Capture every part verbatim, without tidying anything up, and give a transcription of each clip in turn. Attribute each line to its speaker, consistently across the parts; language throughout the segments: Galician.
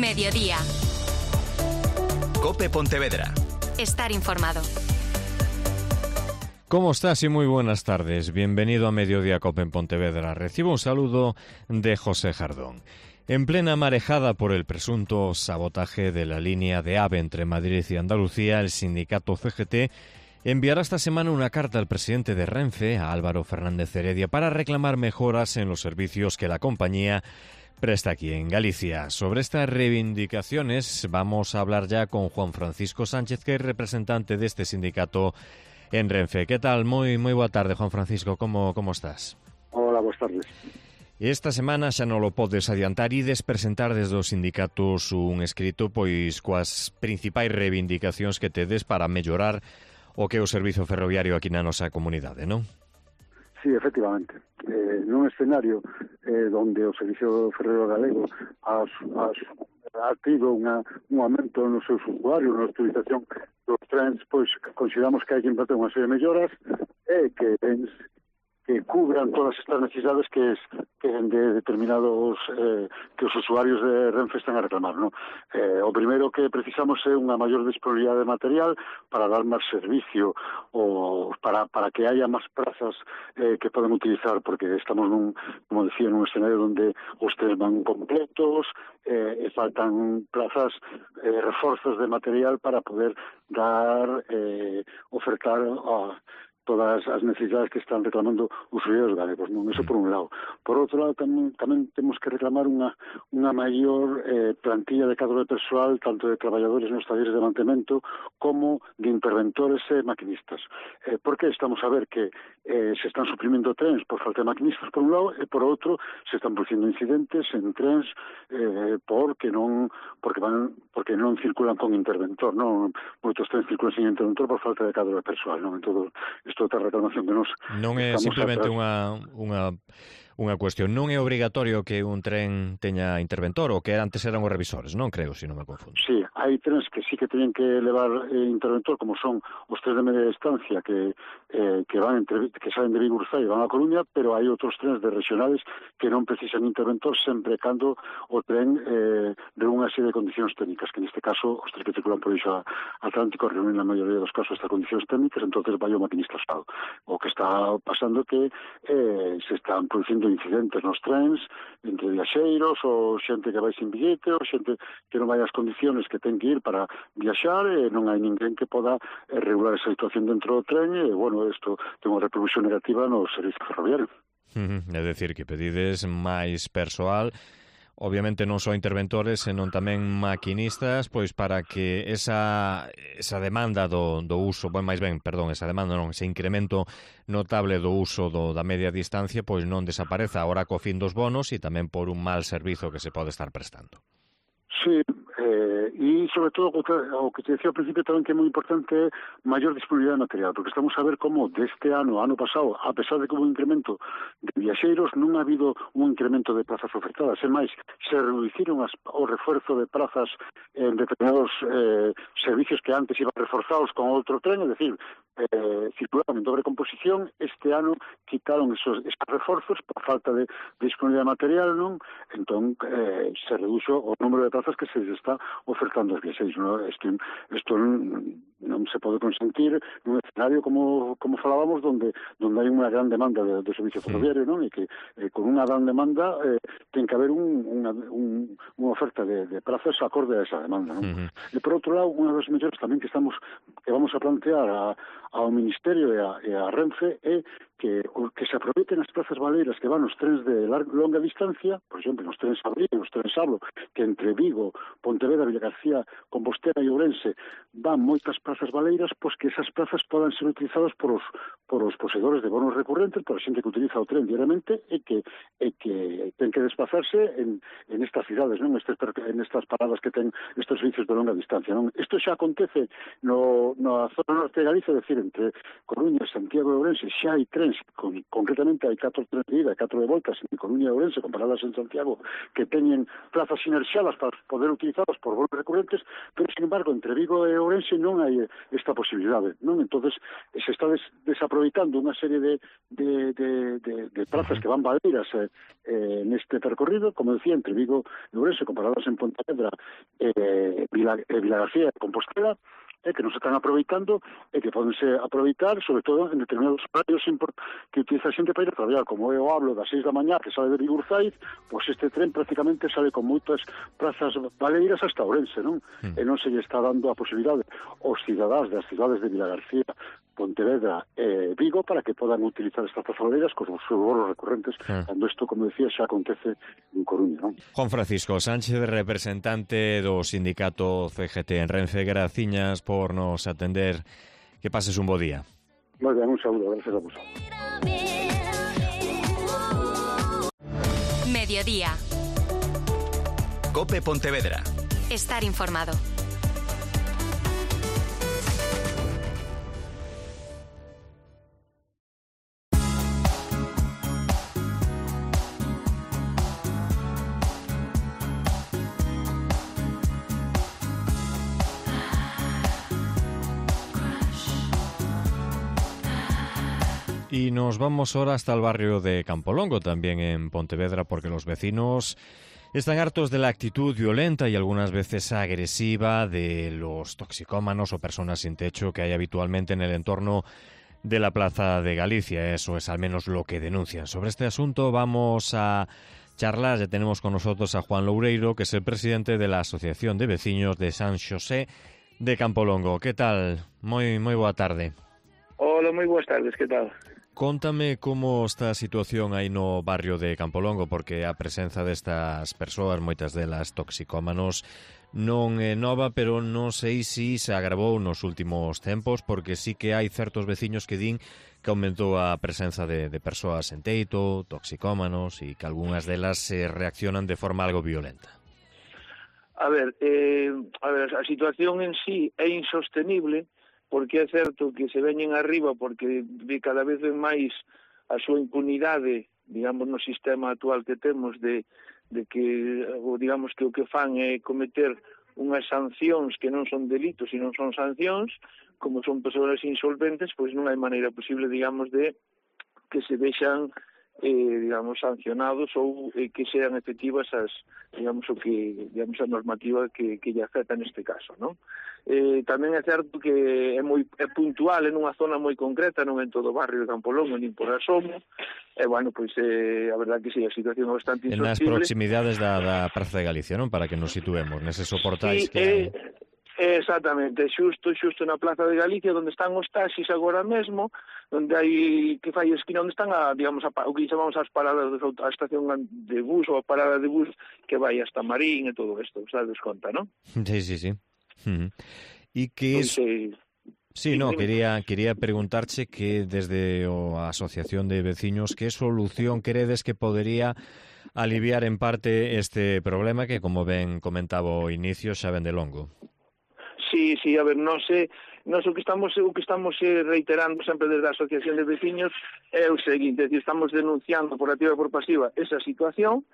Speaker 1: Mediodía.
Speaker 2: COPE Pontevedra.
Speaker 1: Estar informado.
Speaker 3: ¿Cómo estás? Y muy buenas tardes. Bienvenido a Mediodía COPE en Pontevedra. Recibo un saludo de José Jardón. En plena marejada por el presunto sabotaje de la línea de AVE entre Madrid y Andalucía, el sindicato C G T enviará esta semana una carta al presidente de Renfe, a Álvaro Fernández Heredia, para reclamar mejoras en los servicios que la compañía presta aquí en Galicia. Sobre estas reivindicaciones vamos a hablar ya con Juan Francisco Sánchez, que es representante de este sindicato en Renfe. ¿Qué tal? Moi, moi boa tarde, Juan Francisco. Como, como estás?
Speaker 4: Hola, boas tardes.
Speaker 3: Esta semana xa non lo podes adiantar, ides presentar desde os sindicatos un escrito pois coas principais reivindicacións que tedes para mellorar o que é o servizo ferroviario aquí na nosa comunidade, non?
Speaker 4: Sí, efectivamente. Eh, nun escenario eh, onde o servicio ferroviario galego has, has, ha tido unha, un aumento nos seus usuarios, na utilización dos trens, pois consideramos que hai que implantar unha serie de melloras e que tens que cubran todas estas necesidades que, es, que de determinados eh, que os usuarios de Renfe están a reclamar, ¿no? Eh, o primeiro que precisamos é unha maior disponibilidade de material para dar máis servicio ou para, para que haya máis prazas eh, que poden utilizar, porque estamos nun, como decía, nun escenario onde os tres van completos eh, e faltan plazas, eh, reforzos de material para poder dar, eh, ofertar a todas as necesidades que están reclamando os usuarios galegos, non? Eso por un lado. Por outro lado, tamén, tamén temos que reclamar unha, unha maior eh, plantilla de cadro de persoal, tanto de traballadores nos talleres de mantemento como de interventores e maquinistas. Eh, por que estamos a ver que eh, se están suprimindo trens por falta de maquinistas, por un lado, e por outro, se están producindo incidentes en trens eh, porque non porque van porque non circulan con interventor, non? Moitos trens circulan sin interventor por falta de cadro de persoal, non? En todo isto outra reclamación que nos
Speaker 3: non é simplemente unha, unha, unha cuestión. Non é obrigatorio que un tren teña interventor, o que antes eran os revisores, non creo, se non me confundo.
Speaker 4: Sí, hai trens que sí que teñen que levar eh, interventor, como son os trens de media distancia que eh, que van entre, que salen de Vigo e van a Coruña, pero hai outros trens de regionales que non precisan interventor sempre cando o tren eh, de unha serie de condicións técnicas, que neste caso os trens que circulan por iso Atlántico reúnen na maioría dos casos estas condicións técnicas, entonces vai o maquinista asado. O que está pasando que eh, se están producindo incidentes nos trens entre viaxeiros ou xente que vai sin billete ou xente que non vai as condicións que ten que ir para viaxar e non hai ninguén que poda eh, regular esa situación dentro do tren e, bueno, isto ten unha repercusión negativa no servizo ferroviario.
Speaker 3: Uh-huh. É dicir, que pedides máis persoal, obviamente non só interventores, senón tamén maquinistas, pois para que esa, esa demanda do, do uso, ben, máis ben, perdón, esa demanda non, ese incremento notable do uso do, da media distancia, pois non desapareza agora co fin dos bonos e tamén por un mal servizo que se pode estar prestando.
Speaker 4: Sí, eh, e sobre todo o que, o que te decía ao principio tamén que é moi importante é maior disponibilidade de material, porque estamos a ver como deste ano, ano pasado, a pesar de que hubo un incremento de viaxeiros, non ha habido un incremento de plazas ofertadas, e máis, se reduciron as, o refuerzo de plazas en determinados eh, servicios que antes iban reforzados con outro tren, é dicir, eh, circulaban en dobre composición, este ano quitaron esos, esos reforzos por falta de, de disponibilidade de material, non? Entón, eh, se reduxo o número de plazas que se está ofertando aos viaxeiros, non? Isto, isto non, non se pode consentir nun escenario como, como falábamos, donde, donde hai unha gran demanda de, de servicio ferroviario, non? E que eh, con unha gran demanda eh, ten que haber un, unha, un, unha oferta de, de plazas acorde a esa demanda, non? Uh-huh. E por outro lado, unha das mellores tamén que estamos que vamos a plantear a, ao Ministerio e a, e a Renfe é que, que se aproveiten as plazas baleiras que van os trens de larga, longa distancia, por exemplo, os trens Abril, os trens Sablo, que entre Vigo, Pontevedra, Villagarcía, Compostela e Ourense van moitas plazas baleiras, pois que esas plazas podan ser utilizadas por os, por os poseedores de bonos recurrentes, por a xente que utiliza o tren diariamente e que, e que ten que desplazarse en, en estas cidades, non? Estes, en estas paradas que ten estes servicios de longa distancia, non? Isto xa acontece no, na zona norte de Galicia, é dicir, entre Coruña, Santiago e Ourense, xa hai tren Ourense. Con, concretamente hai catro trenes de ida e catro de voltas en Coruña e Ourense comparadas en Santiago que teñen plazas sinerxiadas para poder utilizadas por voos recurrentes, pero sin embargo entre Vigo e Ourense non hai esta posibilidade, non? Entonces se está des, desaproveitando unha serie de, de, de, de, de plazas que van valeiras eh, eh, neste percorrido, como decía, entre Vigo e Ourense comparadas en Pontevedra eh, Vila, eh, Vilagarcía e Compostela, eh, que non se están aproveitando e que podense aproveitar, sobre todo en determinados horarios que utiliza a xente para ir a traballar, como eu hablo das seis da mañá que sale de Bigurzaiz, pois este tren prácticamente sale con moitas plazas valeiras hasta Ourense, non? Mm. E non se lle está dando a posibilidade aos cidadáns das cidades de Vilagarcía, Pontevedra e Vigo para que podan utilizar estas plazas valeiras con os seus voos recurrentes, mm. cando isto, como decía, xa acontece en Coruña, non?
Speaker 3: Juan Francisco Sánchez, representante do sindicato C G T en Renfe, graciñas por nos atender. Que pases un bo día.
Speaker 4: Moi ben, un saúdo, gracias a vos.
Speaker 1: Mediodía.
Speaker 2: COPE Pontevedra.
Speaker 1: Estar informado.
Speaker 3: Y nos vamos ahora hasta el barrio de Campolongo, también en Pontevedra, porque los vecinos están hartos de la actitud violenta y algunas veces agresiva de los toxicómanos o personas sin techo que hay habitualmente en el entorno de la Plaza de Galicia. Eso es al menos lo que denuncian. Sobre este asunto vamos a charlar. Ya tenemos con nosotros a Juan Loureiro, que es el presidente de la Asociación de Vecinos de San Xosé de Campolongo. ¿Qué tal? Moi, moi boa tarde.
Speaker 5: Hola, moi boas tardes, que tal?
Speaker 3: Contame como está a situación aí no barrio de Campolongo, porque a presenza destas persoas, moitas delas toxicómanos, non é nova, pero non sei se se agravou nos últimos tempos, porque sí que hai certos veciños que din que aumentou a presenza de, de persoas en teito, toxicómanos, e que algunhas delas se reaccionan de forma algo violenta.
Speaker 5: A ver, eh, a ver, a situación en sí é insostenible, porque é certo que se veñen arriba porque cada vez ven máis a súa impunidade, digamos, no sistema actual que temos de, de que, digamos, que o que fan é cometer unhas sancións que non son delitos e non son sancións, como son persoas insolventes, pois non hai maneira posible, digamos, de que se vexan eh, digamos, sancionados ou eh, que sean efectivas as, digamos, o que, digamos, a normativa que, que lle afecta neste caso, non? Eh, tamén é certo que é moi é puntual en unha zona moi concreta, non en todo o barrio de Campolongo, nin por asomo, e, bueno, pois, eh, a verdade que sí, a situación é bastante
Speaker 3: insostenible. En nas proximidades da, da Praza de Galicia, non? Para que nos situemos, neses soportais sí, que hai...
Speaker 5: Eh, Exactamente, xusto, xusto na Plaza de Galicia, onde están os taxis agora mesmo, onde hai, que fai esquina, onde están a, digamos, a, o que chamamos as paradas, a estación de bus ou a parada de bus que vai hasta Marín e todo isto, sabes conta, non?
Speaker 3: Sí, sí, sí. Uh-huh. E que es...
Speaker 5: Entonces,
Speaker 3: sí, no, quería quería preguntarche que desde a Asociación de Veciños, que solución credes que podería aliviar en parte este problema que, como ben comentaba ao inicio, xa ven de longo?
Speaker 5: Sí, sí, a ver, non sei, nós o que estamos o que estamos reiterando sempre desde a Asociación de Veciños é o seguinte, é dicir, estamos denunciando por activa e por pasiva esa situación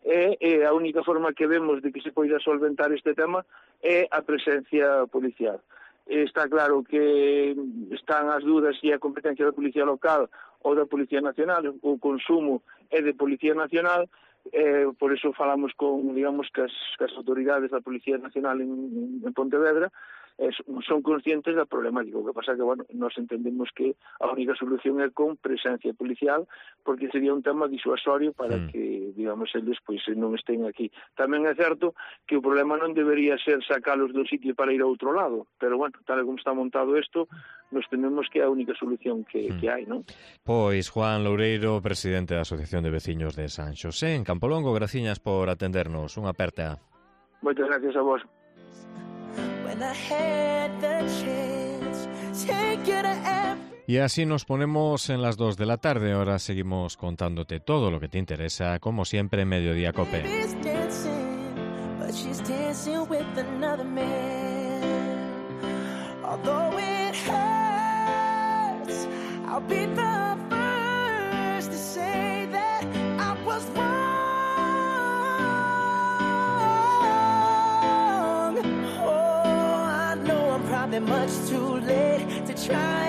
Speaker 5: e, e a única forma que vemos de que se poida solventar este tema é a presencia policial. Está claro que están as dudas se a competencia da Policía Local ou da Policía Nacional, o consumo é de Policía Nacional. Eh, por eso falamos con, digamos, que as, que as autoridades da Policía Nacional en, en Pontevedra eh, son conscientes da problemática. O que pasa que, bueno, nós entendemos que a única solución é con presencia policial, porque sería un tema disuasorio para mm. que, digamos, eles pois non estén aquí. Tamén é certo que o problema non debería ser sacalos do sitio para ir a outro lado, pero, bueno, tal como está montado isto, nos tememos que é a única solución que, mm. que hai, non?
Speaker 3: Pois Juan Loureiro, presidente da Asociación de Veciños de San Xosé, en Campolongo, graciñas por atendernos. Unha aperta.
Speaker 5: Moitas gracias a vos.
Speaker 3: Y así nos ponemos en las dos de la tarde. Ahora seguimos contándote todo lo que te interesa, como siempre, en Mediodía Cope. Although it hurts, I'll be the first.
Speaker 2: much too late to try